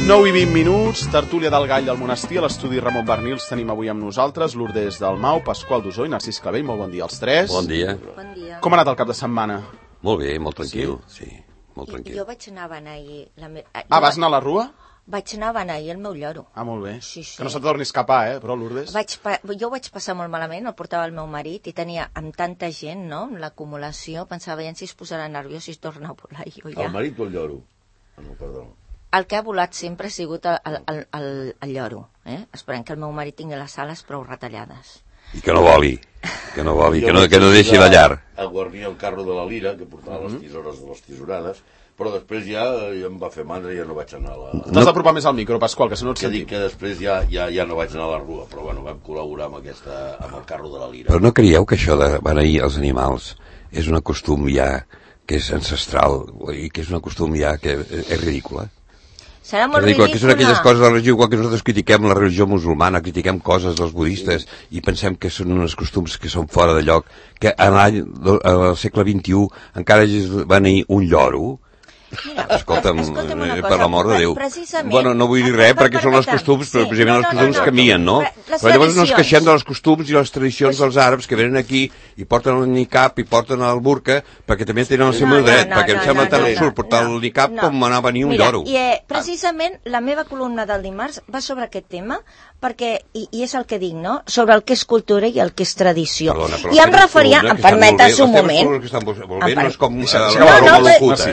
9 i 20 minuts, tertúlia del Gall del Monestir, a l'estudi Ramon Bernils tenim avui amb nosaltres Lourdes Dalmau, Pasqual Dusó i Narcís Clavell. Molt bon dia als tres. Bon dia. Bon dia. Com ha anat el cap de setmana? Molt bé, molt tranquil. Sí, molt tranquil. Jo vaig anar a beneir... Vas anar a la Rua? Vaig anar a beneir el meu lloro. Molt bé. Sí. Que no se torni a escapar, però, Lourdes? Jo ho vaig passar molt malament, el portava el meu marit, i tenia amb tanta gent, no?, l'acumulació, pensava, ja si es posarà nerviós i es torna a volar jo ja. El marit o el lloro? No, perdó. El que ha volat sempre ha sigut el lloro. Esperem que el meu marit tingui les ales prou retallades. I que no voli, que no deixi de llar. A guarnir el carro de la lira, que portava les tisores de les tisorades, però després ja em va fer mandra i ja no vaig anar a la... T'has d'apropar més al micro, Pasqual, que si no et sentim. Que dic que després ja no vaig anar a la Rua, però bueno, vam col·laborar amb el carro de la lira. Però no creieu que això de beneir els animals és un costum ja que és ancestral i que és un costum ja que és ridícula? Serà molt ridícula. Que són aquelles coses de la religió, igual que nosaltres critiquem la religió musulmana, critiquem coses dels budistes i pensem que són uns costums que són fora de lloc, que al segle XXI encara es beneir un lloro. Mira, escolta'm una cosa, per l'amor de Déu. Bueno, no vull dir res perquè són els costums, però precisament els costums canvien, no? Però llavors no ens queixem dels costums i les tradicions dels àrabs que venen aquí i porten el niqab i porten el burca perquè també tenen el seu dret, perquè em sembla tan absurd portar el niqab com anar a venir un lloro. Mira, precisament la meva columna del dimarts va sobre aquest tema, perquè, i és el que dic, no?, sobre el que és cultura i el que és tradició. I em referia, em permetes un moment. No és com la locuta,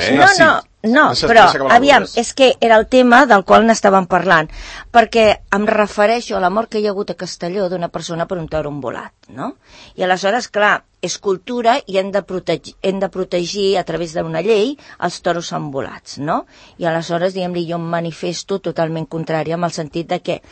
No, però, aviam, és que era el tema del qual n'estàvem parlant, perquè em refereixo a la mort que hi ha hagut a Castelló d'una persona per un toro envolat, no? I aleshores, clar, és cultura i hem de protegir a través d'una llei els toros envolats, no? I aleshores, diguem-li, jo em manifesto totalment contrària amb el sentit de que,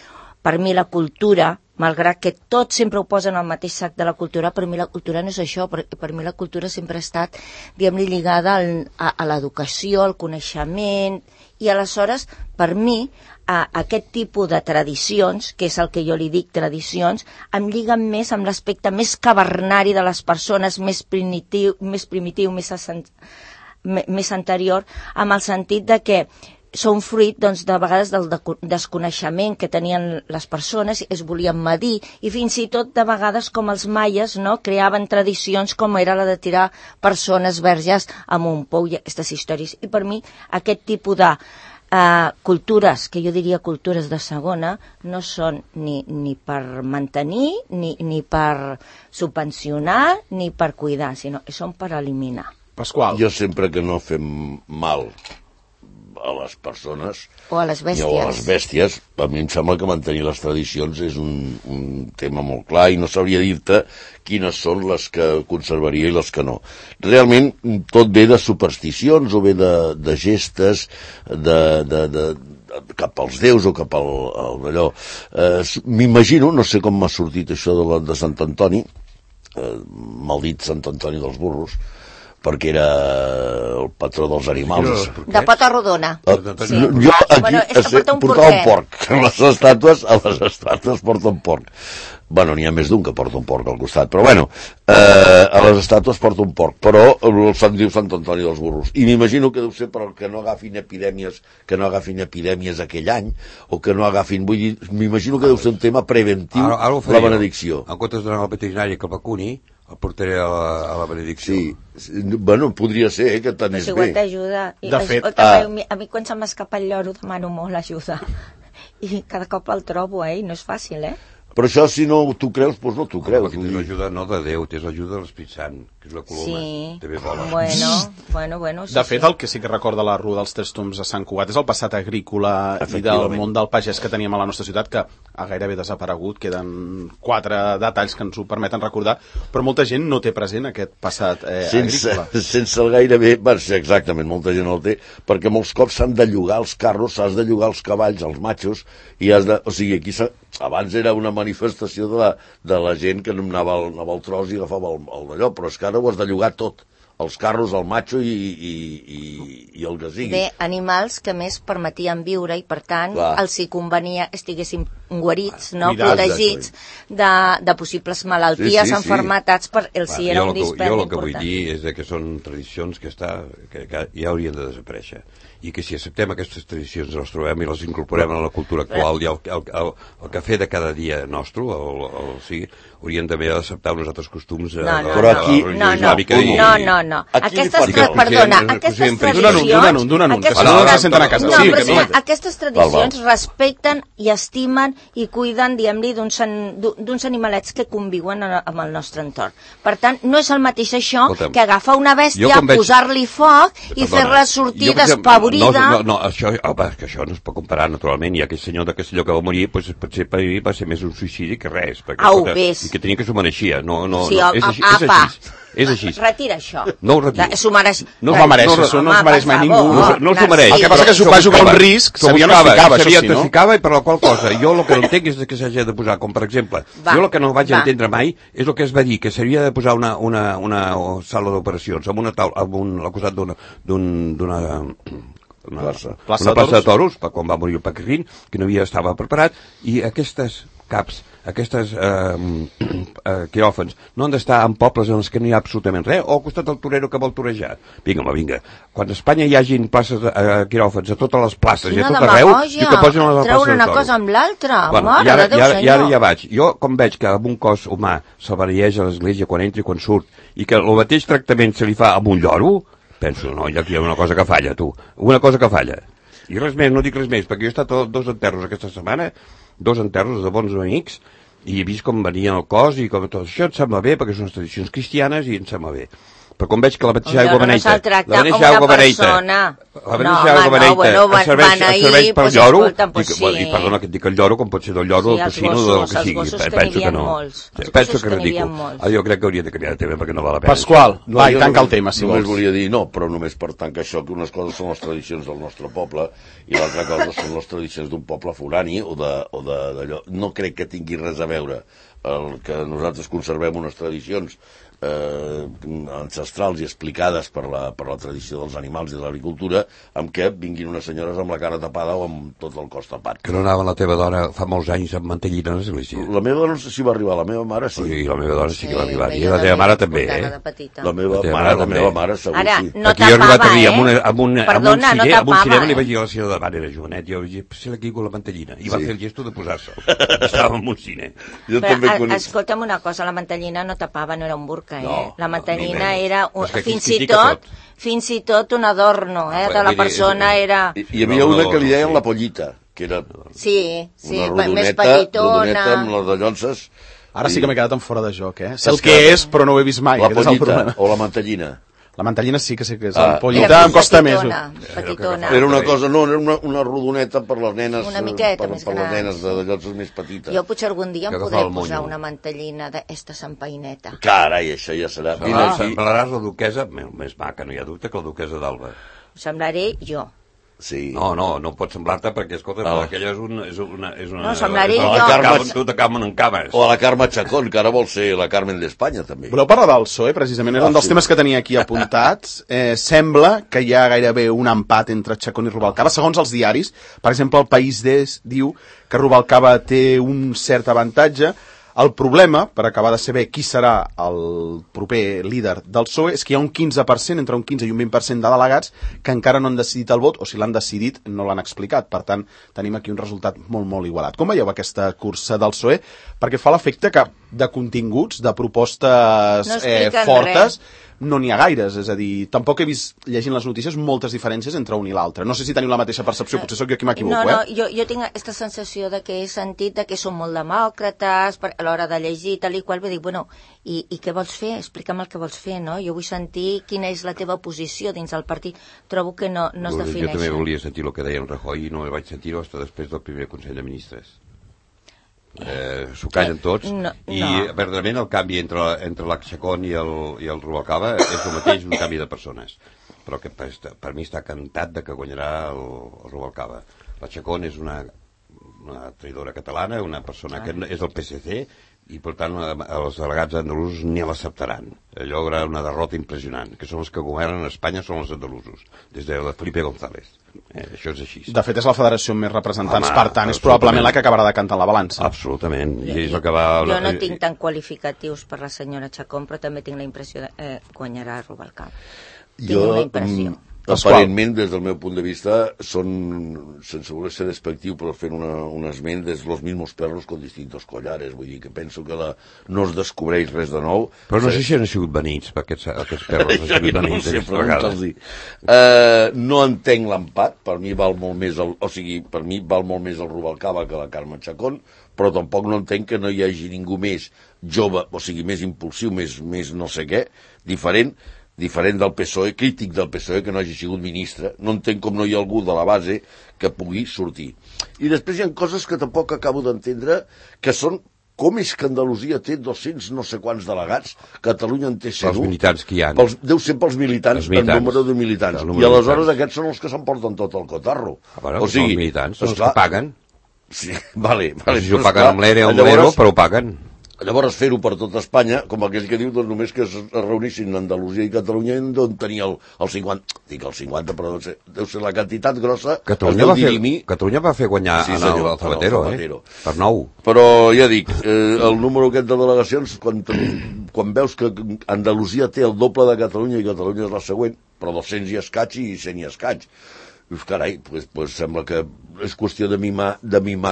per mi la cultura, malgrat que tots sempre ho posen al mateix sac de la cultura, per mi la cultura no és això, per mi la cultura sempre ha estat, diguem-li, lligada a l'educació, al coneixement, i aleshores, per mi, aquest tipus de tradicions, que és el que jo li dic tradicions, em lliguen més amb l'aspecte més cavernari de les persones, més primitiu, més anterior, amb el sentit de que són fruit, doncs, de vegades del desconeixement que tenien les persones, es volien medir, i fins i tot de vegades com els maies, no?, creaven tradicions com era la de tirar persones verges amb un pou i aquestes històries. I per mi aquest tipus de cultures, que jo diria cultures de segona, no són ni per mantenir, ni per subvencionar, ni per cuidar, sinó que són per eliminar. Pasqual. Jo sempre que no fem mal a les persones o a les bèsties. O a les bèsties, a mi em sembla que mantenir les tradicions és un tema molt clar i no sabria dir-te quines són les que conservaria i les que no. Realment tot ve de supersticions o ve de gestes cap als déus o cap al allò. M'imagino, no sé com m'ha sortit això de Sant Antoni, maldit Sant Antoni dels burros, perquè era el patró dels animals. De pota rodona. Sí. Jo aquí portava un porc. A les estàtues porta un porc. Bueno, n'hi ha més d'un que porta un porc al costat, però bueno, a les estàtues porta un porc, però se'n diu Sant Antoni dels burros. I m'imagino que deu ser perquè no agafin epidèmies aquell any, o que no agafin... Vull dir, m'imagino que deu ser un tema preventiu, la benedicció. En comptes d'anar al veterinari que el vacuni, el portaré a la benedicció. Sí, bueno, podria ser, que t'anés bé. Si igual t'ajuda. De fet, a mi quan se m'escapa el lloro demano molt ajuda. I cada cop el trobo, i no és fàcil, Però això, si no t'ho creus, doncs no t'ho creus. Perquè tens l'ajuda no de Déu, tens l'ajuda de l'Espírit Sant, que és la coloma. Sí, també vola. Bueno. De fet, el que sí que recorda la Rua dels Tres Tombs a Sant Cugat és el passat agrícola i del món del pagès que teníem a la nostra ciutat, que ha gairebé desaparegut. Queden 4 detalls que ens ho permeten recordar, però molta gent no té present aquest passat agrícola. Sense el gairebé, sí, exactament, molta gent no el té, perquè molts cops s'han de llogar els carros, s'has de llogar els cavalls, els matxos, i o sigui, aquí abans era una manifestació de la gent que anava al tros i agafava el d'allò, però és que ara ho has de llogar tot, els carros, el matxo i el que sigui. Bé, animals que més permetien viure i per tant els hi convenia que estiguessin guarits, no? Protegits de possibles malalties, enfermetats, per el si era un dispendi important. Jo el que vull dir és que són tradicions que ja haurien de desaparèixer, i que si acceptem aquestes tradicions les trobem i les incorporem a la cultura actual i el cafè de cada dia nostre, hauríem també d'acceptar uns altres costums de la religió islàmica. No. Aquestes tradicions respecten i estimen i cuiden, diguem-li, d'uns animalets que conviuen amb el nostre entorn. Per tant, no és el mateix això que agafar una bèstia, posar-li foc i fer-la sortir despavorida. No, això no es pot comparar, naturalment. I aquell senyor de Castelló que va morir, potser per ell va ser més un suïcidi que res. I que tenia que s'ho mereixia. No, és així. Retira això. No ho retiro. S'ho mereix. No s'ho mereix, això no s'ho mereix mai ningú. No s'ho mereix. El que passa que s'ho va jugar un risc, sabia on es ficava, això sí, no? Ficava, i per la qual cosa, jo el que no entenc és que s'hagi de posar, com per exemple, jo el que no vaig entendre mai és el que es va dir, que s'havia de posar una sala d'operacions amb una taula, al costat d'una plaça de toros, quan va morir el Paquirrín, que no estava preparat, i aquestes caps, aquestes quiròfans, no han d'estar en pobles en els que no hi ha absolutament res, o al costat del torero que vol torejar. Vinga. Quan a Espanya hi hagin places quiròfans a totes les places i a tot arreu, i que posin a la plaça de toros. Treure una cosa amb l'altra, mare de Déu senyor. I ara ja vaig. Jo, com veig que amb un cos humà se'l beneeix a l'església quan entra i quan surt, i que el mateix tractament se li fa amb un lloro, penso, no, aquí hi ha una cosa que falla, tu. Una cosa que falla. I res més, no dic res més, perquè jo he estat a 2 enterros aquesta setmana, 2 enterros de bons amics, i he vist com venien el cos i com tot això em sembla bé, perquè són unes tradicions cristianes i em sembla bé. Però com veig que la mateixa aigua beneita, serveix per lloro, i perdona que et dic el lloro, com pot ser del lloro, del tocino, del que sigui. Penso que no. Penso que és ridícul. Jo crec que hauria de canviar de tema perquè no val la pena. Pasqual, va, i tanca el tema, si vols. Només volia dir, no, però només per tancar això, que unes coses són les tradicions del nostre poble i l'altra cosa són les tradicions d'un poble forani o d'allò. No crec que tingui res a veure el que nosaltres conservem unes tradicions ancestrals i explicades per la tradició dels animals i de l'agricultura, amb què vinguin unes senyores amb la cara tapada o amb tot el cos tapat. Que no anava la teva dona fa molts anys amb mantellina a l'església? La meva dona no sé si va arribar, la meva mare sí. I la meva dona sí que va arribar, i la teva mare també, La meva mare segur sí. No tapava, amb un cinema li vaig dir a la senyora davant, era jovenet, jo vaig dir, posar aquí amb la mantellina, i va fer el gesto de posar-se'l. Estava en un cine. Escolta'm una cosa, la mantellina no tapava, no era un burca. La mantellina era fins i tot un adorno de la persona. Hi havia una que li deien la pollita, que era més petitona, amb les dallonses. Ara sí que m'he quedat en fora de joc, sé el que és, però no ho he vist mai. La pollita o la mantellina. La mantellina sí que sé que és. La pollita em costa més. Petitona. Era una cosa, no, era una rodoneta per les nenes. Una miqueta més gran. Per les nenes de llocs més petites. Jo potser algun dia em podré posar una mantellina d'esta sampaineta. Carai, això ja serà. Semblaràs la duquesa, més maca, no hi ha dubte, que la duquesa d'Alba. Semblaré jo. Sí. No pot semblar-te perquè, escolta, aquella és una... No, semblaré jo. Tu te camen en cames. O a la Carme Chacón, que ara vol ser la Carmen d'Espanya, també. Voleu parlar del PSOE, precisament? Era un dels temes que tenia aquí apuntats. Sembla que hi ha gairebé un empat entre Chacón i Rubalcaba. Segons els diaris, per exemple, el País diu que Rubalcaba té un cert avantatge. El problema, per acabar de saber qui serà el proper líder del PSOE, és que hi ha un 15%, entre un 15 i un 20% de delegats que encara no han decidit el vot, o si l'han decidit no l'han explicat. Per tant, tenim aquí un resultat molt, molt igualat. Com veieu aquesta cursa del PSOE? Perquè fa l'efecte que de continguts, de propostes fortes, no n'hi ha gaires, és a dir, tampoc he vist, llegint les notícies, moltes diferències entre un i l'altre. No sé si teniu la mateixa percepció, potser sóc jo qui m'equivoco, jo tinc aquesta sensació de que he sentit de que són molt demòcrates a l'hora de llegir, tal i qual, vull dir, bueno, i què vols fer? Explica'm el que vols fer, no? Jo vull sentir quina és la teva posició dins del partit. Trobo que no es defineix. Jo també volia sentir el que deia en Rajoy i no el vaig sentir-ho fins després del primer Consell de Ministres. S'ho callen tots i verdaderament el canvi entre la Chacón i el Rubalcaba és el mateix, un canvi de persones, però que per mi està cantat de que guanyarà el Rubalcaba. La Chacón és una traïdora catalana, una persona que és del PSC, i per tant els delegats andalusos ni l'acceptaran. Allò era una derrota impressionant, que són els que governen Espanya, són els andalusos, des de Felipe González. Això és així. De fet, és la federació amb més representants, per tant, és probablement la que acabarà decantant la balança. Absolutament. I és el que va... Jo no tinc tan qualificatius per la senyora Chacón, però també tinc la impressió que guanyarà Rubalcaba. Tinc una impressió. Aparentment, des del meu punt de vista, són, sense voler ser despectiu, però fent un esment, des los mismos perros con distintos collares. Vull dir que penso que no es descobreix res de nou. Però no sé si han sigut benits, aquests perros han sigut benits aquestes vegades. No entenc l'empat, per mi val molt més per mi val molt més el Rubalcaba que la Carme Chacón, però tampoc no entenc que no hi hagi ningú més jove, o sigui, més impulsiu, més no sé què, diferent del PSOE, crític del PSOE, que no hagi sigut ministre. No entenc com no hi ha algú de la base que pugui sortir. I després hi ha coses que tampoc acabo d'entendre, que són com és que Andalusia té 200 no sé quants delegats, Catalunya en té 101. Els militants que hi ha. Deu ser pels militants, el número de militants. I aleshores aquests són els que s'emporten tot el cotarro. O sigui, els militants són els que paguen. Sí, vale. Si ho paguen amb l'ERE o amb l'ERO, però ho paguen. Llavors fer-ho per tot Espanya, com aquell que diu, doncs només que es reunissin Andalusia i Catalunya d'on tenia el 50, dic el 50, però deu ser la quantitat grossa. Catalunya va fer guanyar el Zapatero, per 9. Però ja dic, el número aquest de delegacions, quan veus que Andalusia té el doble de Catalunya i Catalunya és la següent, però 200 i escaig i 100 i escaig. Carai, pues sembla que és qüestió de mimar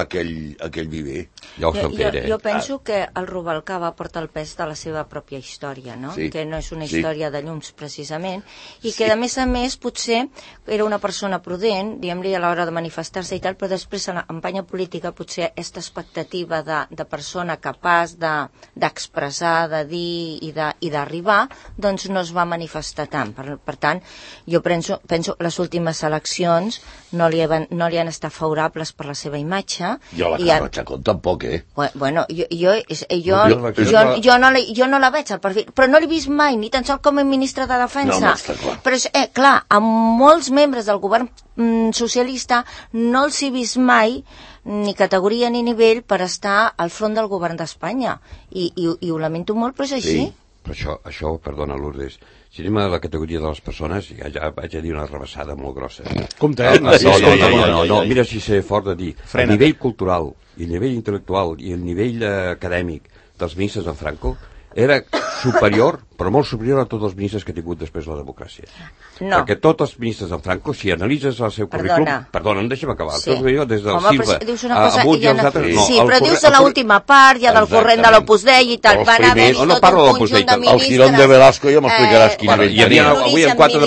aquell viver. Ja ho estan fent, Jo penso que el Rubalcaba porta el pes de la seva pròpia història, no? Sí. Que no és una història de llums, precisament, i que, a més, potser era una persona prudent, diguem-li, a l'hora de manifestar-se i tal, però després, a la campanya política, potser aquesta expectativa de persona capaç d'expressar, de dir i d'arribar, doncs no es va manifestar tant. Per tant, jo penso que les últimes eleccions no li han estat favorables per la seva imatge. Jo la Carme Chacón tampoc, Bueno, jo no la veig al perfil, però no l'he vist mai, ni tan sols com a ministre de Defensa. Però, clar, amb molts membres del govern socialista no els he vist mai ni categoria ni nivell per estar al front del govern d'Espanya. I ho lamento molt, però és així. Sí. Però això, perdona, Lourdes, si anem a la categoria de les persones, ja vaig a dir una rebassada molt grossa. Compte, No, mira si sé fort de dir. El nivell cultural, i el nivell intel·lectual, i el nivell acadèmic dels ministres de Franco era superior, però molt superior a tots els ministres que ha tingut després la democràcia. No. Perquè tots els ministres de Franco, si analitzes el seu currículum... Perdona, deixa'm acabar. Sí. Des del Silva a Amunt i els altres... Sí, però dius de l'última part, ja del corrent de l'Opus Dei i tal. Van haver no parlo de l'Opus Dei. El Girón de Velasco ja m'explicaràs quin nivell tenia. Hi havia 4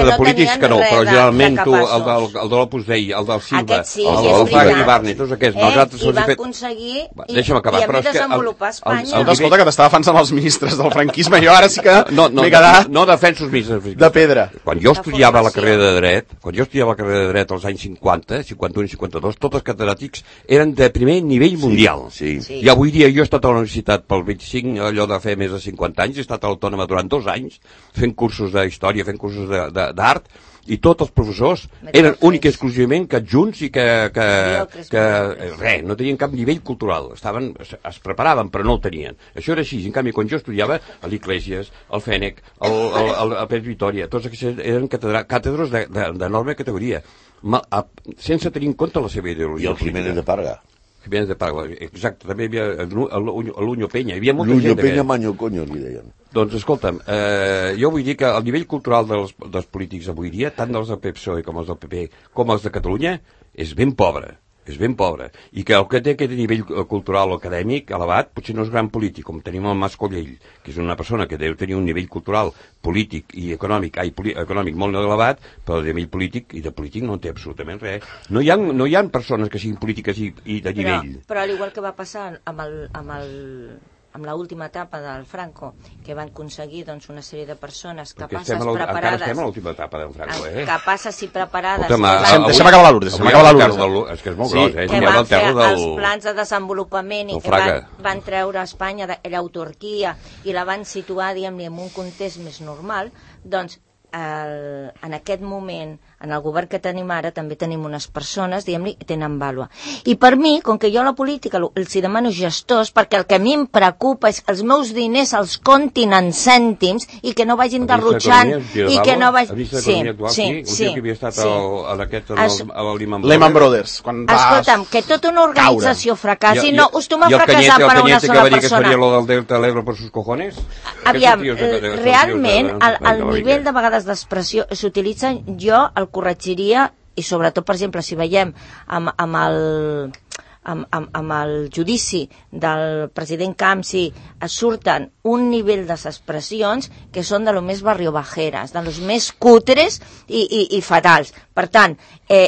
de polítics que no, però generalment tu, el de l'Opus Dei, el del Silva, el Fraga i Barney, tots aquests, nosaltres se'ls he fet... I van aconseguir, i a més desenvolupar Espanya... Escolta, que t'estava defensant els ministres del franquisme, jo ara sí que m'he quedat... No defenso els ministres de pedra. Quan jo estudiava la carrera de dret, als anys 50, 51 i 52, tots els catedràtics eren de primer nivell mundial. I avui dia jo he estat a la universitat pel 25, allò de fer més de 50 anys, he estat autònoma durant 2 anys, fent cursos d'història, fent cursos d'art, i tots els professors eren únic i exclusivament que adjunts i que res, no tenien cap nivell cultural, es preparaven però no el tenien. Això era així. En canvi, quan jo estudiava a l'Iglesias, al Fènec, al Pérez Vitòria, tots aquests eren càtedres d'enorme categoria, sense tenir en compte la seva ideologia. I el Jiménez de Parga. Jiménez de Parga, exacte, també hi havia l'Uño Peña, hi havia molta gent. L'Uño Peña Maño Coño, li deien. Doncs escolta'm, jo vull dir que el nivell cultural dels polítics avui dia, tant dels del PSOE com els del PP, com els de Catalunya, és ben pobre. I que el que té aquest nivell cultural o acadèmic elevat potser no és gran polític, com tenim el Mas Collell, que és una persona que deu tenir un nivell cultural, polític i econòmic molt elevat, però de nivell polític i de polític no en té absolutament res. No hi ha persones que siguin polítiques i de nivell. Però al igual que va passar amb l'última etapa del Franco, que van aconseguir una sèrie de persones capaces, preparades... Encara estem a l'última etapa del Franco, capaces i preparades... Deixa'm acabar la Lourdes. És que és molt gros, que van fer els plans de desenvolupament i que van treure a Espanya de l'autarquia i la van situar, diguem-ne, en un context més normal, doncs en aquest moment en el govern que tenim ara també tenim unes persones, diguem-li, que tenen vàlua. I per mi, com que jo a la política els demano gestors, perquè el que a mi em preocupa és que els meus diners els comptin en cèntims i que no vagin derrotxant i que no vagin... Sí. Que havia estat a Lehman Brothers. Escolta'm, que tota una organització fracassi, no acostuma a fracassar per a una sola persona. ¿Y el Cañete que va a decir que faria lo del Delta del Ebro por sus cojones? Aviam, realment, el nivell de vegades d'expressió s'utilitza, jo el corregiria, i sobretot, per exemple, si veiem amb el judici del president Camps, surten un nivell de expressions que són de lo més barriobajeres, de los més cutres i fatals. Per tant,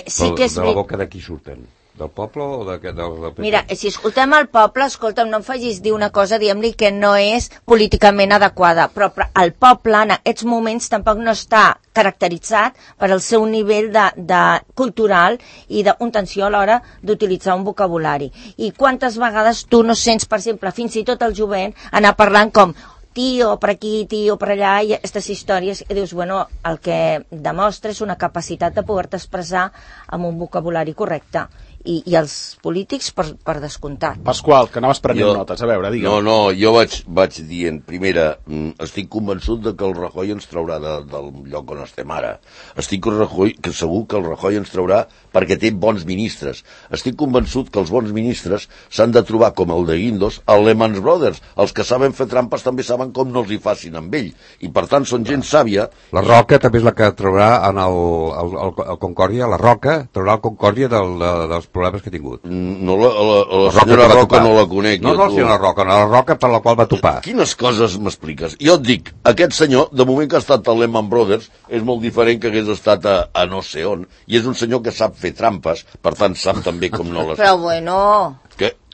sí que és... De la boca de qui surten? Del poble o del... Mira, si escoltem el poble, escolta'm, no em facis dir una cosa, diguem-li, que no és políticament adequada, però el poble en aquests moments tampoc no està caracteritzat per el seu nivell de cultural i d'una tensió a l'hora d'utilitzar un vocabulari. I quantes vegades tu no sents, per exemple, fins i tot el jovent, anar parlant com tio per aquí, tio per allà, i aquestes històries, i dius, bueno, el que demostra és una capacitat de poder-te expressar amb un vocabulari correcte. I els polítics per descomptat. Pasqual, que anaves prenent notes, a veure, digue'm. No, jo vaig dient, primera, estic convençut de que el Rajoy ens traurà del lloc on estem ara. Estic segur que el Rajoy ens traurà perquè té bons ministres. Estic convençut que els bons ministres s'han de trobar com el de Guindos, el Lehman Brothers. Els que saben fer trampes també saben com no els hi facin amb ell. I per tant són gent sàvia. La Roca també és la que traurà en el Concòrdia, la Roca traurà el Concòrdia dels problemes que ha tingut. No, la senyora Roca no la conec. No, la senyora Roca, no, la Roca per la qual va topar. Quines coses m'expliques? Jo et dic, aquest senyor, de moment que ha estat a Lehman Brothers, és molt diferent que hagués estat a no sé on, i és un senyor que sap fer trampes, per tant sap també com no les... Però bueno...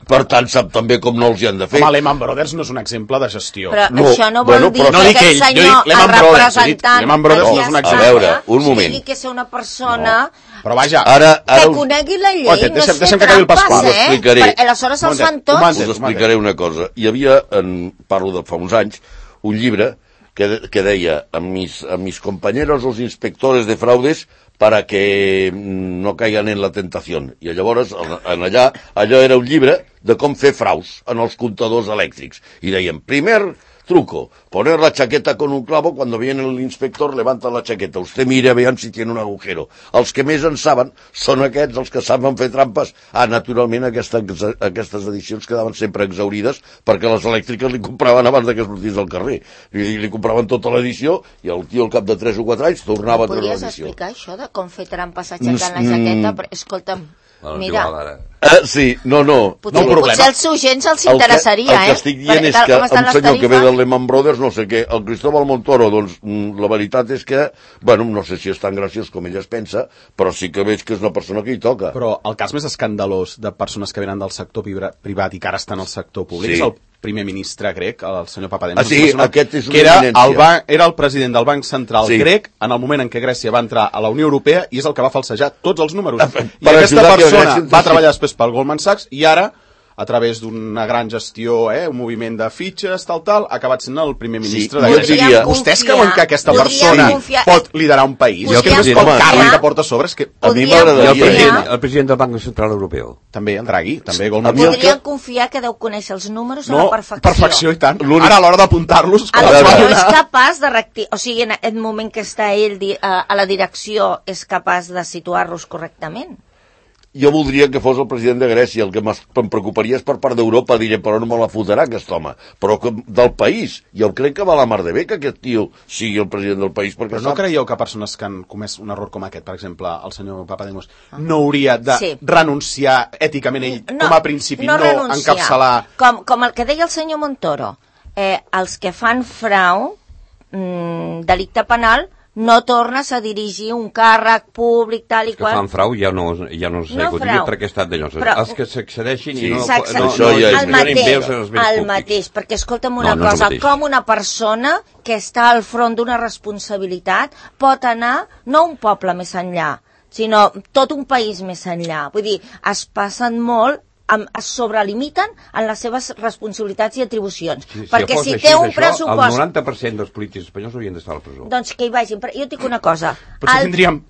Per tant, sap també com no els hi han de fer. Home, Lehman Brothers no és un exemple de gestió. Però això no vol dir que aquest senyor, el representant... Lehman Brothers no és un exemple. A veure, un moment. Sigui que és una persona... Però vaja... Que conegui la llei, no és fer trampes, Aleshores els fan tots. Us explicaré una cosa. Hi havia, parlo de fa uns anys, un llibre que deia a mis compañeros los inspectores de fraudes para que no caigan en la tentación. I llavors, allò era un llibre de com fer fraus en els comptadors elèctrics. I deien, primer truco, poner la chaqueta con un clavo, cuando viene el inspector levanta la chaqueta, usted mire a veure si tiene un agujero. Els que més en saben són aquests, els que saben fer trampes. Naturalment aquestes edicions quedaven sempre exaurides perquè les elèctriques li compraven abans que sortís al carrer. Li compraven tota l'edició i el tio al cap de 3 o 4 anys tornava a treure l'edició. Podries explicar això de com fer trampes aixecant la jaqueta? Però, escolta'm, mira... Sí, no. Potser als seus gens els interessaria, El que estic dient és que un senyor que ve del Lehman Brothers, no sé què, el Cristóbal Montoro, doncs la veritat és que, bueno, no sé si és tan graciós com ell es pensa, però sí que veig que és una persona que hi toca. Però el cas més escandalós de persones que venen del sector privat i que ara estan al sector públic és el primer ministre grec, el senyor Papademos. Aquest és una eminència. Era el president del Banc Central grec en el moment en què Grècia va entrar a la Unió Europea i és el que va falsejar tots els números. I aquesta persona va treballar després pel Goldman Sachs i ara, a través d'una gran gestió, un moviment de fitxes, tal, ha acabat sent el primer ministre de Grècia. Vostès creuen que aquesta persona pot liderar un país? És que no és el càrrec que porta a sobre, és que a mi m'agradaria... El president del Banc Central Europeu. També, en Draghi, també Goldman Sachs. Podríem confiar que deu conèixer els números a la perfecció. Perfecció, i tant. Ara, a l'hora d'apuntar-los... És capaç de rectificar, o sigui, en aquest moment que està ell a la direcció, és capaç de situar-los correctament? Jo voldria que fos el president de Grècia, el que em preocuparia és per part d'Europa, diré, però no me la fotrà aquest home, però del país, jo crec que va la mar de bé que aquest tio sigui el president del país, perquè però no creieu que persones que han comès un error com aquest, per exemple, el senyor Papademos, no hauria de renunciar èticament ell, com a principi, no encapçalar... Com el que deia el senyor Montoro, els que fan frau, delicte penal, no tornes a dirigir un càrrec públic tal i qual. Els que fan frau ja no s'acudiria perquè ha estat d'allò. Els que s'accedeixin i no... El mateix, perquè escolta'm una cosa, com una persona que està al front d'una responsabilitat pot anar no un poble més enllà, sinó tot un país més enllà. Vull dir, es passen molt es sobrelimiten en les seves responsabilitats i atribucions. Perquè si té un pressupost... El 90% dels polítics espanyols haurien d'estar a la presó. Doncs que hi vagin. Però jo et dic una cosa. Potser tindríem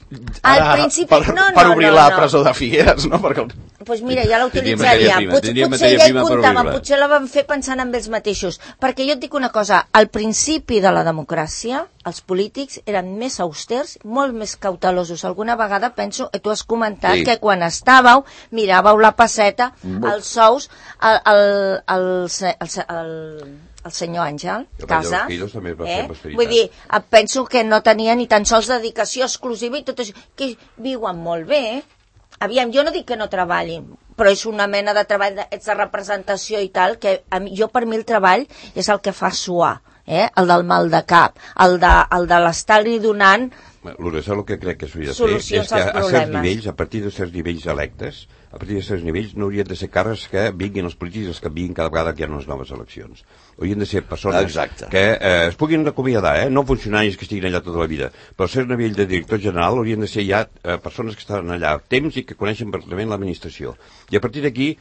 per obrir la presó de Figueres, no? Doncs mira, ja la utilitzaria. Potser ja hi comptaven, potser la van fer pensant en ells mateixos. Perquè jo et dic una cosa, al principi de la democràcia, els polítics eren més austers, molt més cautelosos. Alguna vegada penso, tu has comentat que quan estàveu, miràveu la passeta, els sous, el senyor Àngel Casas, vull dir, penso que no tenia ni tan sols dedicació exclusiva i tot això, que viuen molt bé. Aviam, jo no dic que no treballin, però és una mena de treball de representació i tal, que jo per mi el treball és el que fa suar, el del mal de cap, el de l'estar-li donant Lourdes, el que crec que s'hauria de fer és que a certs nivells, a partir de certs nivells electes, a partir de certs nivells no haurien de ser càrrecs que vinguin els polítics, els que vinguin cada vegada que hi ha unes noves eleccions. Haurien de ser persones que es puguin acomiadar, no funcionaris que estiguin allà tota la vida, però a cert nivell de director general haurien de ser ja persones que estan allà temps i que coneixen perfectament l'administració. I a partir d'aquí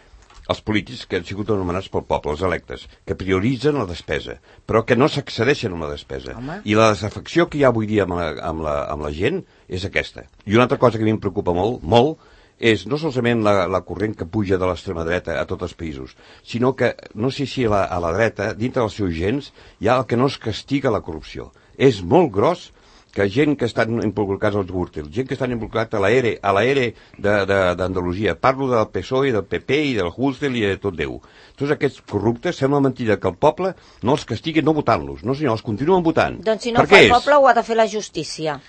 els polítics que han sigut anomenats pel poble, els electes, que prioritzen la despesa, però que no s'accedeixen a la despesa. I la desafecció que hi ha avui dia amb la gent és aquesta. I una altra cosa que a mi em preocupa molt, és no solament la corrent que puja de l'extrema dreta a tots els països, sinó que, no sé si a la dreta, dintre dels seus gens, hi ha el que no es castiga la corrupció. És molt gros que gent que estan involucrats als Gürtel, gent que estan involucrats a la ERE d'Andalusia, parlo del PSOE, del PP i del Gürtel i de tot Déu. Tots aquests corruptes, sembla mentida que el poble no els castigui no votant-los, no senyor, els continuen votant. Doncs si no fa el poble ho ha de fer la justícia.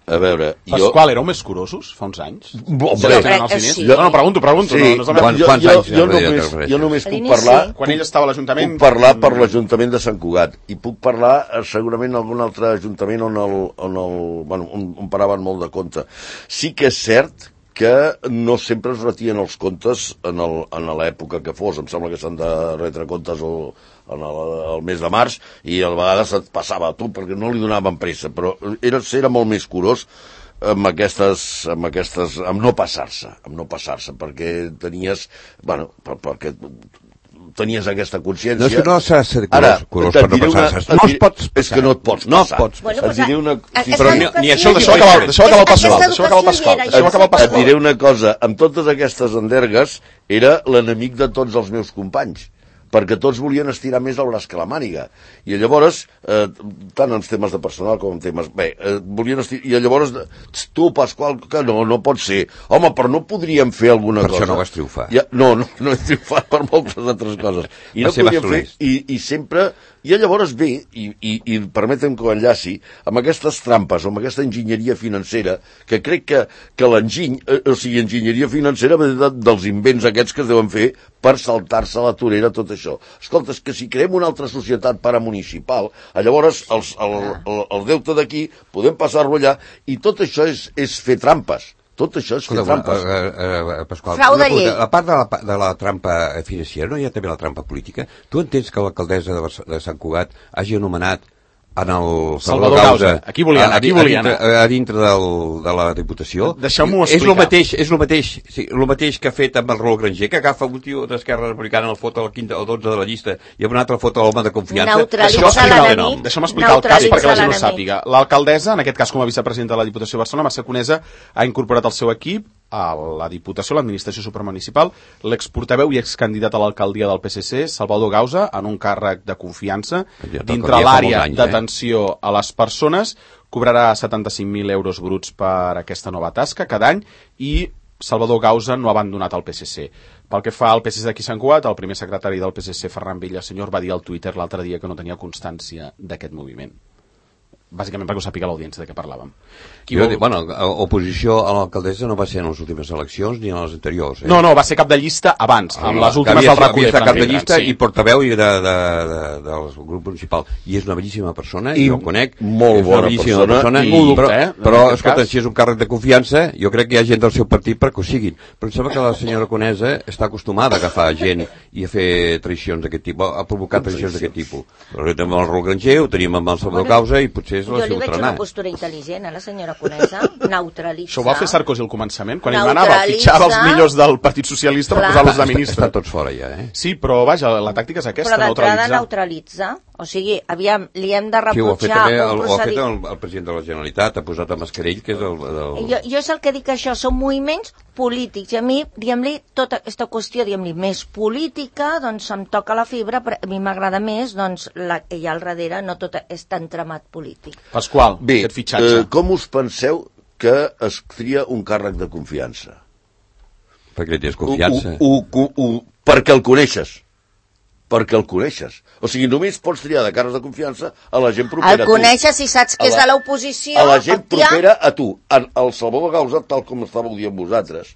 A veure, Pasqual, éreu més curosos fa uns anys? Sí. No, pregunto. Jo només puc parlar... Quan ell estava a l'Ajuntament... Puc parlar per l'Ajuntament de Sant Cugat i puc parlar segurament en algun altre ajuntament on paraven molt de compte. Sí que és cert que no sempre es retien els comptes en l'època que fos. Em sembla que s'han de retre comptes el mes de març i a vegades et passava a tu perquè no li donaven pressa, però era molt més curós amb no passar-se, perquè tenies aquesta consciència. No s'ha de ser curós per no passar-se. No es pots passar. És que no et pots passar. Però ni això, deixeu acabar el Pasqual. Et diré una cosa, amb totes aquestes endergues era l'enemic de tots els meus companys, perquè tots volien estirar més el braç que la màniga. I llavors, tant en temes de personal com en temes... volien estirar... I llavors, tu, Pasqual, que no pot ser. Home, però no podríem fer alguna cosa. Per això no vas triomfar. No he triomfat per moltes altres coses. I no podríem fer... I sempre... I llavors ve, i permetem que ho enllaci, amb aquestes trampes o amb aquesta enginyeria financera, que crec que l'enginy, o sigui, enginyeria financera ve dels invents aquests que es deuen fer per saltar-se la torera tot això. Escolta, és que si creem una altra societat paramunicipal, llavors el deute d'aquí podem passar-lo allà, i tot això és fer trampes. Tot això és fer trampes. Pasqual, a part de la trampa financera, no hi ha també la trampa política? Tu entens que l'alcaldessa de Sant Cugat hagi anomenat en el Salvador Gausa, aquí volien a dintre de la Diputació? Deixeu-m'ho explicar. És el mateix que ha fet amb el Raül Granger, que agafa un tio d'Esquerra Republicana, el foto al 15 o 12 de la llista i amb un altre foto l'home de confiança. Deixeu-me explicar el cas perquè la gent ho sàpiga. L'alcaldessa, en aquest cas com a vicepresidenta de la Diputació de Barcelona, Mercè Conesa, ha incorporat al seu equip a la Diputació, l'administració supramunicipal, l'exportaveu i excandidat a l'alcaldia del PSC, Salvador Gausa, en un càrrec de confiança dintre l'àrea d'atenció a les persones. Cobrarà 75.000 euros bruts per aquesta nova tasca cada any i Salvador Gausa no ha abandonat el PSC. Pel que fa al PSC d'aquí Sant Cugat, el primer secretari del PSC, Ferran Villasenyor, va dir al Twitter l'altre dia que no tenia constància d'aquest moviment. Bàsicament perquè ho sàpiga l'audiència de què parlàvem. Oposició a l'alcaldessa no va ser en les últimes eleccions ni en les anteriors. No, va ser cap de llista abans, amb les últimes del recull. Cap de llista i portaveu del grup municipal. I és una bellíssima persona, i jo conec. Molt bona persona. Però, escolta, si és un càrrec de confiança, jo crec que hi ha gent del seu partit perquè ho siguin. Però em sembla que la senyora Conesa està acostumada a agafar gent i a fer traïcions d'aquest tipus, a provocar traïcions d'aquest tipus. Però també amb el Raül Granger, ho tenim amb el Salvador Gausa i potser potser és la Jo li seva veig tronada. una postura intel·ligent, la senyora Conesa, neutralitzar. Això ho va fer Sarkozy al començament, quan ell manava, fitxava els millors del Partit Socialista per posar-los de ministre. Estan tots fora ja, Sí, però vaja, la tàctica és aquesta, neutralitzar. Però d'entrada neutralitzar. O sigui, aviam, li hem de reprotxar... Sí, ho ha fet el president de la Generalitat, ha posat a Mascarell, que és el... Jo és el que dic, això, són moviments polítics. I a mi, diguem-li, tota aquesta qüestió, diguem-li, més política, doncs em toca la fibra, però a mi m'agrada més, doncs, la que hi ha al darrere, no tot és tan tramat polític. Pasqual, aquest fitxatge. Com us penseu que es tria un càrrec de confiança? Perquè li tens confiança. Perquè el coneixes. Perquè el coneixes. O sigui, només pots triar de càrrecs de confiança a la gent propera a tu. El coneixes i saps que és de l'oposició. A la gent propera a tu. El Salvador Gausa, tal com estàveu dient vosaltres,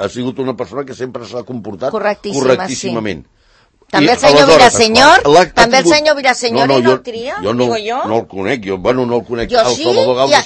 ha sigut una persona que sempre s'ha comportat correctíssimament. Sí. També el senyor Villasenyor? També el senyor Villasenyor no el tria? Jo no el conec, no el conec. Jo sí,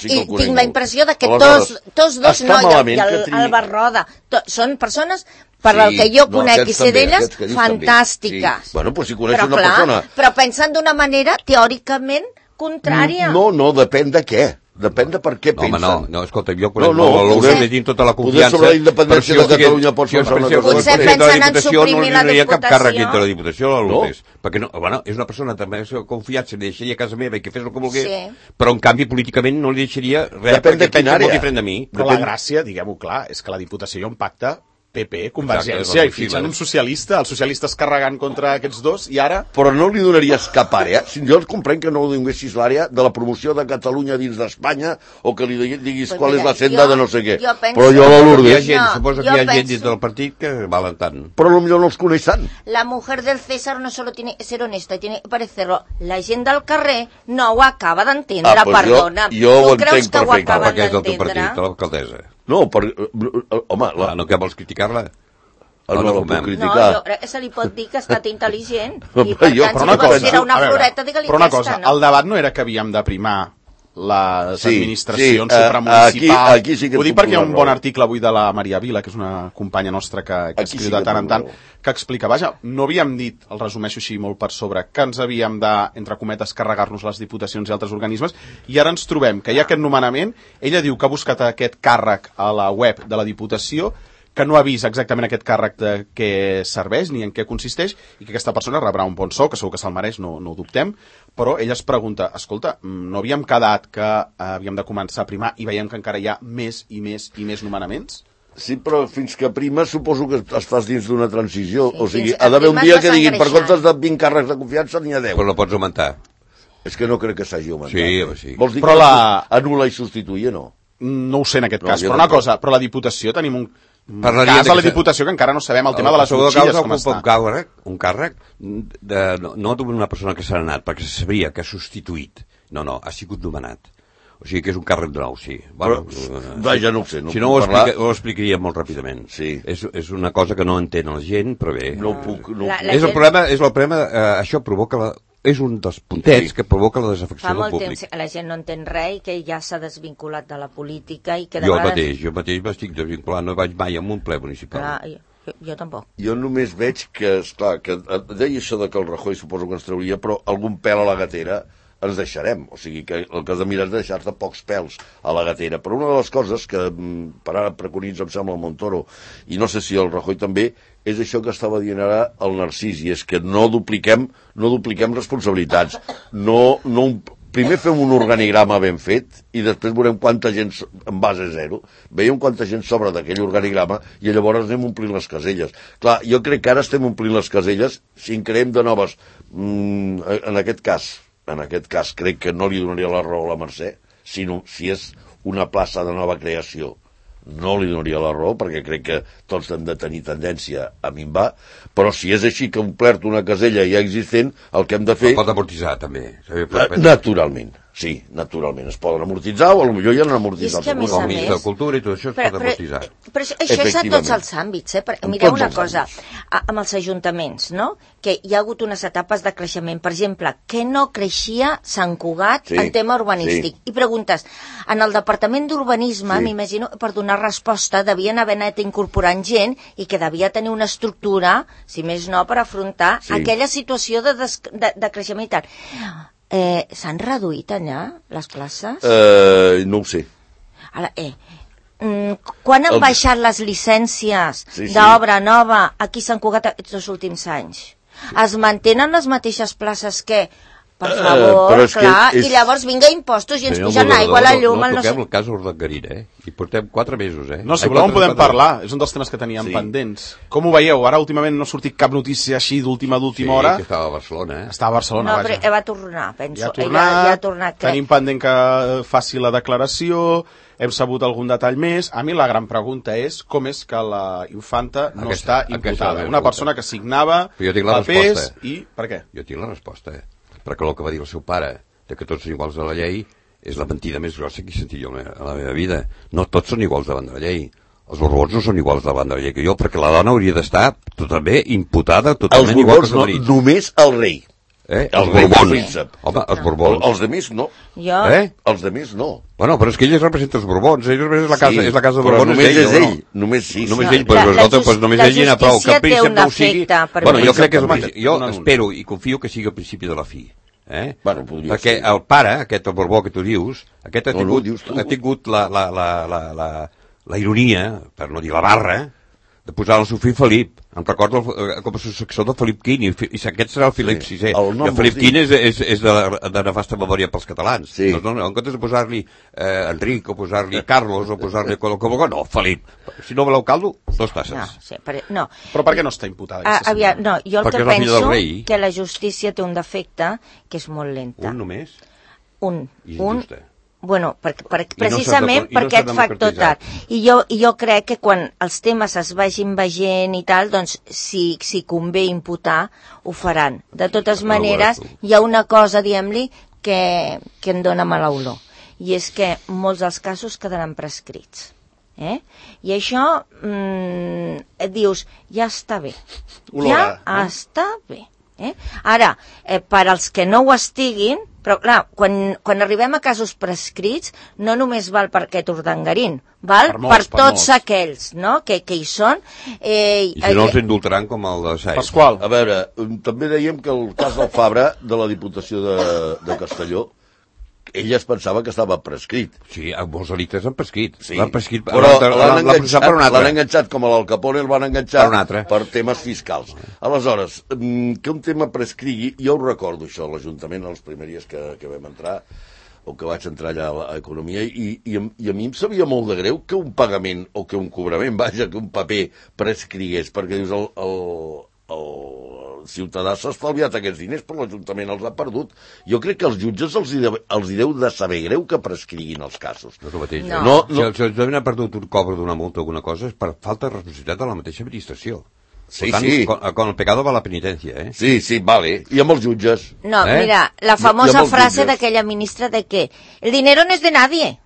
i tinc la impressió que tots dos, no, i el Barroda, són persones, per el que jo conec i sé d'elles, fantàstiques. Bueno, doncs si coneixes una persona... Però pensen d'una manera teòricament contrària. No, depèn de què. Depèn de per què pensen. No, escolta, jo conec l'Olor de dins tota la confiança. Poder sobre la independència de Catalunya pot ser una cosa. Potser pensen en suprimir la Diputació. No hi hauria cap càrrec Diputació. dintre la Diputació, a l'Olor. Perquè és una persona també de confiança, li deixaria a casa meva i que fes el que volgués, però en canvi políticament no li deixaria res perquè pensa molt diferent de mi. Però la gràcia, diguem-ho clar, és que la Diputació hi ha un pacte PP, Convergència, i fitxen un socialista, els socialistes carregant contra aquests dos, i ara... Però no li donaries cap àrea? Jo comprenc que no ho donessis l'àrea de la promoció de Catalunya dins d'Espanya, o que li diguis qual és la senda de no sé què. Però jo la Lourdes... Suposo que hi ha gent dins del partit que valen tant. Però potser no els coneix tant. La mujer del César no solo tiene que ser honesta, tiene que parecerlo. La gent del carrer no ho acaba d'entendre, perdona. Jo tu creus que ho acaben d'entendre? Perquè és del teu partit, d'entendre? l'alcaldessa. No, home... No, que vols criticar-la? No la puc criticar. No, jo crec que se li pot dir que ha estat intel·ligent. I per tant, si vols tirar una floreta, digue-li però una cosa, el debat no era que havíem de primar les administracions supramunicipals. Aquí sí que ho dic perquè hi ha un bon article avui de la Maria Vila, que és una companya nostra que escriu de tant en tant, que explica, vaja, no havíem dit, el resumeixo així molt per sobre, que ens havíem de, entre cometes, carregar-nos les diputacions i altres organismes, i ara ens trobem que hi ha aquest nomenament, ella diu que ha buscat aquest càrrec a la web de la Diputació, que no ha vist exactament aquest càrrec de què serveix ni en què consisteix i que aquesta persona rebrà un bon sou, que segur que se'l mereix, no ho dubtem, però ella es pregunta, escolta, no havíem quedat que havíem de començar a primar i veiem que encara hi ha més i més i més nomenaments? Sí, però fins que prima suposo que estàs dins d'una transició, o sigui, ha d'haver un dia que diguin, per comptes de 20 càrrecs de confiança n'hi ha 10. Però la pots augmentar. És que no crec que s'hagi augmentat. Sí. Vols dir però que anul·la i substituir, no? No ho sé en aquest cas, però una cosa, però la Diputació tenim un cas a la Diputació que encara no sabem el tema de les motxilles com està. Un càrrec no d'una persona que s'ha anat, perquè se sabria que ha substituït. No, ha sigut nomenat. O sigui que és un càrrec nou, sí. Ja no ho sé. Si no ho explicaria molt ràpidament. Sí. És una cosa que no entén la gent, però bé. No puc. És el problema, això provoca és un dels puntets que provoca la desafecció del públic. Fa molt temps que la gent no entén res i que ja s'ha desvinculat de la política i que de jo mateix m'estic desvinculant, no vaig mai a un ple municipal. Jo tampoc. Jo només veig que, esclar, que deia això de que el Rajoy suposo que ens trauria, però algun pèl a la gatera ens deixarem. O sigui, que el que has de mirar és deixar-te pocs pèls a la gatera. Però una de les coses que per ara preconitza, em sembla, el Montoro, i no sé si el Rajoy també, és això que estava dient ara el Narcís, i és que no dupliquem responsabilitats. Primer fem un organigrama ben fet i després veurem quanta gent en base zero. Veiem quanta gent sobra d'aquell organigrama i llavors anem omplint les caselles. Clar, jo crec que ara estem omplint les caselles si en creem de noves. En aquest cas crec que no li donaria la raó a la Mercè, sinó si és una plaça de nova creació. No li donaria la raó, perquè crec que tots hem de tenir tendència a minvar, però si és així que ha omplert una casella ja existent, el que hem de fer... Pot amortitzar, també. Naturalment. Sí, naturalment, es poden amortitzar o potser ja no han amortitzat. És que a més a més... de cultura i tot això es pot amortitzar. Però això és a tots els àmbits, Mireu una cosa, amb els ajuntaments, no? Que hi ha hagut unes etapes de creixement. Per exemple, que no creixia Sant Cugat en tema urbanístic. I preguntes, en el Departament d'Urbanisme, m'imagino, per donar resposta, devien haver anat incorporant gent i que devia tenir una estructura, si més no, per afrontar aquella situació de creixement i tal. s'han reduït allà les places? No ho sé. Ara, quan han baixat les llicències d'obra nova aquí a Sant Cugat aquests últims anys? Es mantenen les mateixes places que... Per favor, clar, i llavors vinga impostos i ens pugen l'aigua, la llum... No toquem el cas Urdangarín, I portem 4 mesos, No, si voleu en podem parlar, és un dels temes que teníem pendents. Com ho veieu? Ara últimament no ha sortit cap notícia així d'última hora. Sí, que estava a Barcelona, Estava a Barcelona, vaja. No, però va tornar, penso. Ja ha tornat, tenim pendent que faci la declaració, hem sabut algun detall més. A mi la gran pregunta és com és que la infanta no està imputada. Una persona que signava papers i... Per què? Jo tinc la resposta, perquè el que va dir el seu pare, que tots són iguals a la llei, és la mentida més grossa que he sentit jo a la meva vida. No tots són iguals davant de la llei. Els Borbons no són iguals davant de la llei que jo, perquè la dona hauria d'estar també imputada totalment igual que els marits. Només el rei. Els Borbons. Home, els Borbons. Els demés no. Jo? Els demés no. Bueno, però és que ell representa els Borbons, ell representa la casa de Borbons. Només és ell. Només sí. Només ell, però només ell hi ha prou. Que el príncep no ho sigui... Bueno, jo crec que jo espero i confio que sigui el principi de la fi. Perquè el pare, aquest el Borbó que tu dius, aquest ha tingut la ironia, per no dir la barra, de posar el seu fill Felip. Em recordo com a successor de Felip Quint, i aquest serà el Felip VI. I el Felip Quint és de nefasta memòria pels catalans. En comptes de posar-li Enric, o posar-li Carlos, o posar-li no, Felip. Si no voleu caldo, 2 tasses. No. Però per què no està imputada? No, jo el que penso que la justícia té un defecte que és molt lenta. Un només? Un. Bueno, precisament per aquest factor tal. I jo crec que quan els temes es vagin veient i tal, doncs si convé imputar, ho faran. De totes maneres, hi ha una cosa, diguem-li, que em dóna mala olor. I és que molts dels casos quedaran prescrits. I això et dius, ja està bé. Està bé. Ara, per als que no ho estiguin, però clar, quan arribem a casos prescrits, no només val per aquest Urdangarín, val per tots aquells, no?, que hi són. I si no els indultaran com el de Saiz. Pasqual. A veure, també dèiem que el cas del Fabra, de la Diputació de Castelló, ell es pensava que estava prescrit. Sí, molts delictes han prescrit. L'han prescrit, però l'han enganxat com l'Al Capone, el van enganxar per temes fiscals. Aleshores, que un tema prescrigui, jo ho recordo això, a l'Ajuntament, a les primeries que vam entrar, o que vaig entrar allà a Economia, i a mi em sabia molt de greu que un pagament, o que un cobrament, vaja, que un paper prescrigués, perquè dius, el ciutadà s'ha estalviat aquests diners, però l'Ajuntament els ha perdut. Jo crec que als jutges els deu de saber greu que prescriguin els casos. No és el mateix. Si l'Ajuntament ha perdut un cobre d'una multa o alguna cosa, és per falta de responsabilitat de la mateixa administració. Sí, sí. Con el pecado va la penitencia, Sí, sí, vale. I amb els jutges. No, mira, la famosa frase d'aquella ministra de que el dinero no es de nadie.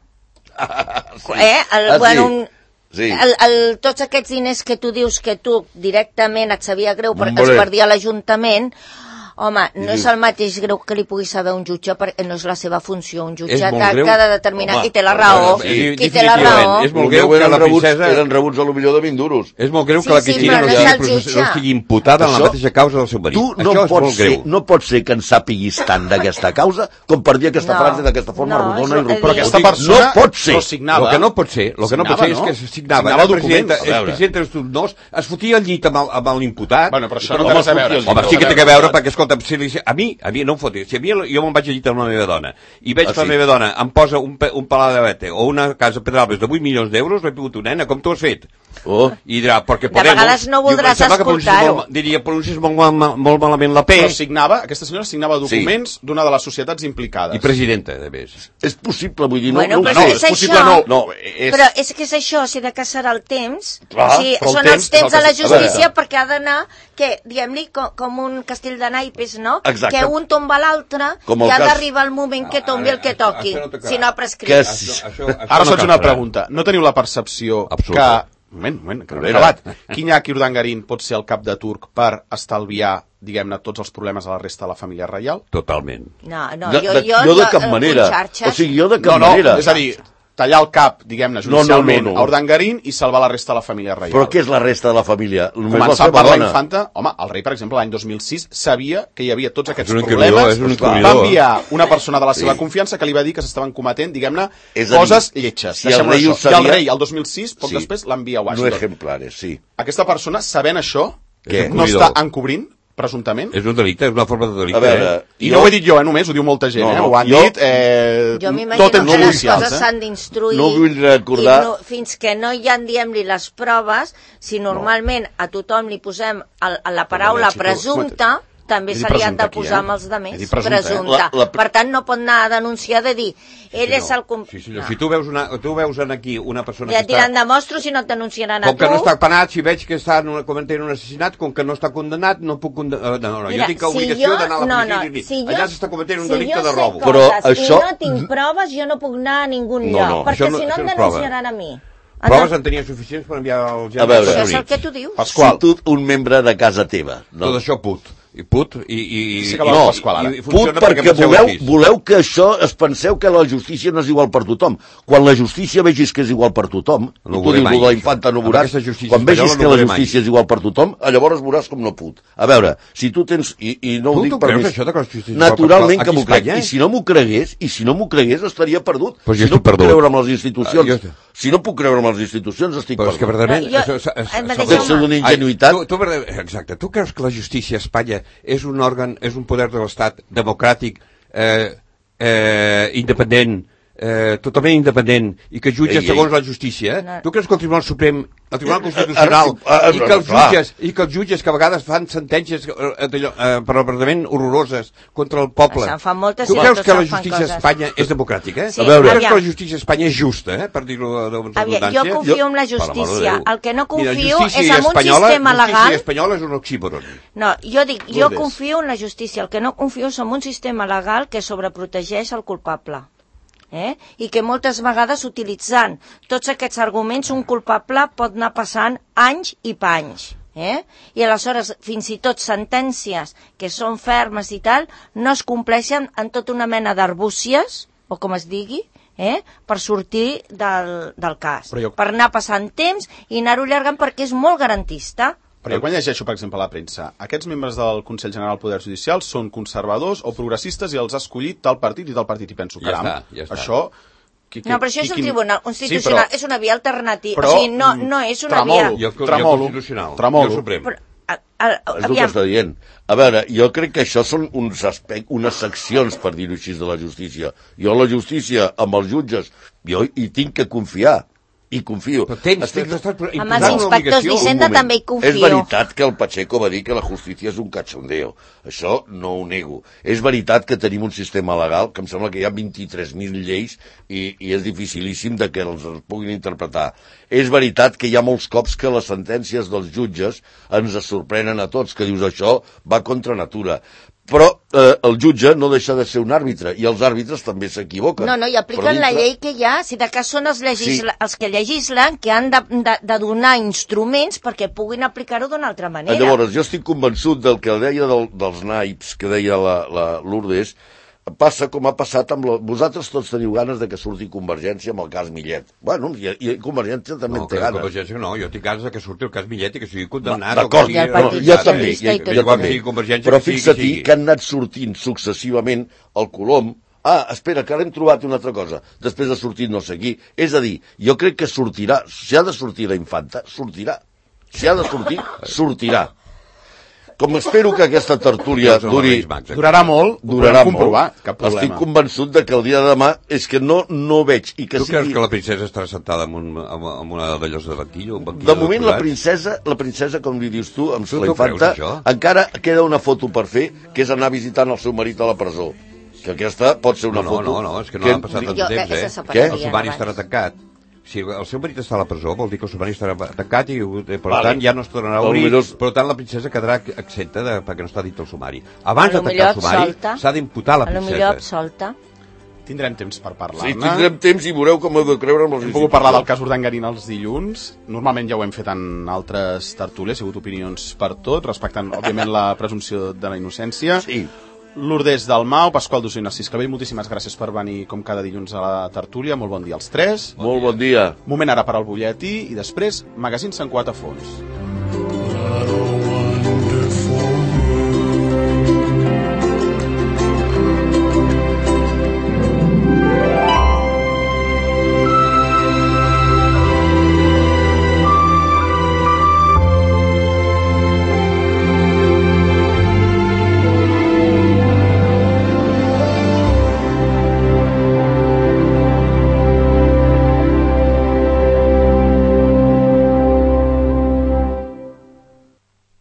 Sí. Tots aquests diners que tu dius que tu directament et sabia greu perquè els perdia l'Ajuntament, home, no és el mateix greu que li pugui saber un jutge perquè no és la seva funció. Un jutge ha de determinar qui té la raó. Qui té la raó. És molt greu que la princesa... Eren rebuts a l'opinió de 20 duros. És molt greu que la Cristina no estigui imputada en la mateixa causa del seu marit. Tu no pots ser que en sàpiguis tant d'aquesta causa com per dir aquesta frase d'aquesta forma rodona i però aquesta persona no signava. El que no pot ser és que signava documents. El president dels dos es fotia al llit amb l'imputat. Bueno, però això no té res a veure. Home, sí que té a veure perquè, escolta, a mi no em fotis. Si a mi jo me'n vaig a llit amb la meva dona i veig que la meva dona em posa un palau de vete o una casa a Pedralbes de 8 milions d'euros, l'he pogut una nena, com tu has fet? I dirà, perquè Podemos... De vegades no voldràs escoltar-ho. Diria, pronuncies molt malament la P. Però aquesta senyora signava documents d'una de les societats implicades. I presidenta, de més. És possible, vull dir, no és possible, no. Però és que és això, si de què serà el temps, són els temps de la justícia perquè ha d'anar, que, diguem-li, com un castell de naipes, no? Que un tomba l'altre i ha d'arribar el moment que tombi el que toqui, si no ha prescrit. Ara us faig una pregunta. No teniu la percepció que... Moment, que no l'he acabat. Iñaki Urdangarín pot ser el cap de turc per estalviar, diguem-ne, tots els problemes a la resta de la família reial? Totalment. No, jo de cap manera. O sigui, jo de cap manera. És a dir, tallar el cap, diguem-ne, judicialment a Urdangarín i salvar la resta de la família reial. Però què és la resta de la família? Començar per la infanta. Home, el rei, per exemple, l'any 2006 sabia que hi havia tots aquests problemes. Va enviar una persona de la seva confiança que li va dir que s'estaven cometent, diguem-ne, coses lletges. I el rei, el 2006, poc després, l'envia a Washington. No ejemplares, sí. Aquesta persona, sabent això, no està encobrint, presumptament. És un delicte, és una forma de delicte. A veure, I no ho he dit jo, només, ho diu molta gent, ho han dit. Jo m'imagino que les coses s'han d'instruir. No vull recordar... Fins que no hi ha, diguem-li, les proves, si normalment a tothom li posem la paraula presumpta, també se li han de posar amb els altres, presumpte. Per tant, no pot anar a denunciar de dir, ell és el... Si tu veus aquí una persona que està... Ja tiran de mostro si no et denunciaran a tu. Com que no està penat, si veig que està cometent un assassinat, com que no està condemnat, no puc condemnar... No, jo tinc obligació d'anar a la policia i dir, allà s'està cometent un delicte de robo. Però això... I no tinc proves, jo no puc anar a ningun lloc, perquè si no em denunciaran a mi. Proves en tenia suficients per enviar al general. A veure, això és el que tu dius. Si tu, un membre de casa teva... Tot això put. I put i put perquè voleu que això es penseu que la justícia no és igual per tothom. Quan la justícia vegis que és igual per tothom, tu dius de la infanta no veuràs, quan vegis que la justícia és igual per tothom, llavors veuràs com no put. A veure, si tu tens, i no ho dic per més, naturalment que m'ho crec, i si no m'ho cregués estaria perdut. Si no puc creure amb les institucions, estic perdut. Deu ser d'una ingenuïtat. Exacte, tu creus que la justícia a Espanya és un òrgan, és un poder de l'Estat democràtic, independent, totalment independent, i que jutja segons la justícia? Tu creus que el Tribunal Suprem, el Tribunal Constitucional, i que els jutges que a vegades fan sentències probablement horroroses contra el poble, tu creus que la justícia a Espanya és democràtica? Tu creus que la justícia a Espanya és justa, per dir-ho de redundància? Jo confio en la justícia, el que no confio és en un sistema legal... La justícia espanyola és un oxímoron. No, jo dic, jo confio en la justícia, el que no confio és en un sistema legal que sobreprotegeix el culpable. I que moltes vegades utilitzant tots aquests arguments un culpable pot anar passant anys i panys. I aleshores fins i tot sentències que són fermes i tal no es compleixen en tota una mena d'arbúcies, o com es digui, per sortir del cas, per anar passant temps i anar-ho allargant perquè és molt garantista. Però jo quan llegeixo, per exemple, a la premsa, aquests membres del Consell General del Poder Judicial són conservadors o progressistes i els ha escollit tal partit i tal partit. I penso, caram, això... No, però això és un tribunal constitucional, és una via alternativa, o sigui, no és una via... Tremolo. És el que està dient. A veure, jo crec que això són unes seccions, per dir-ho així, de la justícia. Jo la justícia, amb els jutges, jo hi tinc que confiar. I confio. Amb els inspectors d'Hisenda també hi confio. És veritat que el Pacheco va dir que la justícia és un cachondeo. Això no ho nego. És veritat que tenim un sistema legal que em sembla que hi ha 23.000 lleis i és dificilíssim de que els puguin interpretar. És veritat que hi ha molts cops que les sentències dels jutges ens sorprenen a tots, que dius això va contra natura. Però el jutge no deixa de ser un àrbitre, i els àrbitres també s'equivoquen. No, i apliquen la llei que hi ha, si de cas són els que legislen, que han de donar instruments perquè puguin aplicar-ho d'una altra manera. Llavors, jo estic convençut del que deia dels naips, que deia la Lourdes, passa com ha passat amb... Vosaltres tots teniu ganes de que surti Convergència amb el cas Millet. Bueno, i Convergència també té ganes. Convergència no, jo tinc ganes de que surti el cas Millet i que sigui condemnat. D'acord, jo també. Però fixa-t'hi que han anat sortint successivament el Colom. Espera, que ara hem trobat una altra cosa. Després de sortir no sé qui. És a dir, jo crec que sortirà. Si ha de sortir la infanta, sortirà. Si ha de sortir, sortirà. Com espero que aquesta tertúlia durarà molt, estic convençut de que el dia de demà és que no veig. Tu creus que la princesa estarà sentada en una d'allòs de banquillo? De moment la princesa, com li dius tu, amb la infanta, encara queda una foto per fer, que és anar visitant el seu marit a la presó. Que aquesta pot ser una foto... No, és que no ha passat tant temps, Què? El sumari estarà tancat. Si el seu marit està a la presó, vol dir que el sumari estarà tancat i, per tant, ja no es tornarà a obrir. Per tant, la princesa quedarà exempta perquè no està dit el sumari. Abans de tancar el sumari, s'ha d'imputar la princesa. Potser absolta. Tindrem temps per parlar-ne. Sí, tindrem temps i veureu com heu de creure amb els instituts. Hem pogut parlar del cas Urdangarín els dilluns. Normalment ja ho hem fet en altres tertúlies, ha hagut opinions per tot, respectant, òbviament, la presumpció de la innocència. Sí. Lourdes Dalmau, Pasqual Dusó i Narcís Clavell, moltíssimes gràcies per venir com cada dilluns a la tertúlia. Molt bon dia als tres. Molt bon dia. Moment ara per al butlletí i després Magazín Sant Cugat a fons.